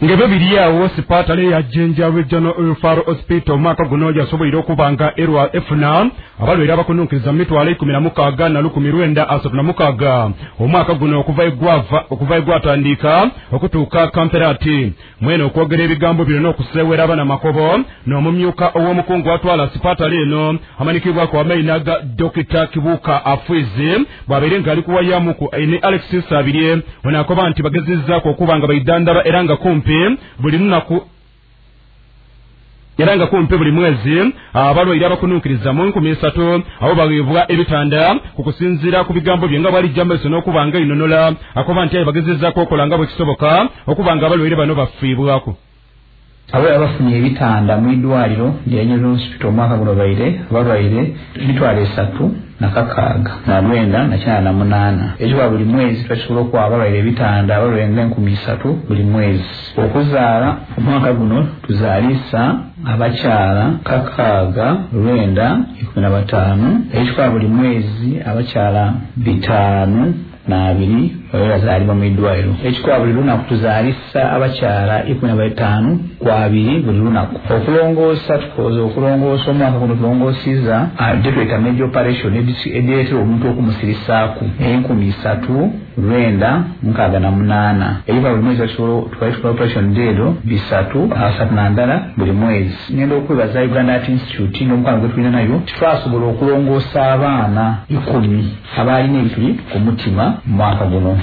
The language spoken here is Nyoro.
Ng'ebyo biri awo, sipatale ya Jinja Regional Referral Hospital omwaka guno yasoboire okuba nga erwa efuna abalwaire abakununkiriza mu 169,936 omwaka guno okuva egwava okuva egwatandika okutuuka kamperati. Mwene okwogera ebigambo bino n'okuseewera abanamakobo n'omumyuka ow'omukungu atwala sipatale eno amanikibwako amaina ga Dokita Kibuuka Afwizi, bw'abeire ng'ali kuwayamuku ne Alex Nsabirye, ono akoba nti bagezezzaako okuba nga baidandaba era nga kumpi buli lunaku era nga kumpi buli mwezi abalwaire abakununkiriza mu 3000 abo baweebwa ebitanda. Ku kusinziira ku bigambo bye nga bwalijja maiso n'okuba nga inonola, akoba nti aye bagezezzaako okola nga bwe kisoboka okuba nga abalwaire bano bafiibwako. Abo abafunye ebitanda mu idwaliro lya General Hospital omwaka guno baire abalwaire 369,8. Ekyo buli mwezi twakisobola okuwa abalwaire ebitanda, abalwaire nga 3000 buli mwezi. Okuzaala omwaka guno tuzaalisa abakyala 6915. Ekikola buli mwezi abakyala 502 babe bazaalibwa mu idwaliro. Ekikola buli lunaku tuzaalisa abakyala 15 ku 20 buli lunaku. Okulongoosa, tukoze okulongoosa omwaka guno, tulongoosiza gyetweta major operation edireetera omuntu okumusirisaaku 3968. Ekikola buli mwezi twali tukola operation deero 331 buli mwezi. Ngenda okwebaza Uganda Heart Institute n'omukwano gwe tulina nayo, titwasobola okulongoosa abaana 10 abaalina ebituli ku mutima mu mwaka guno.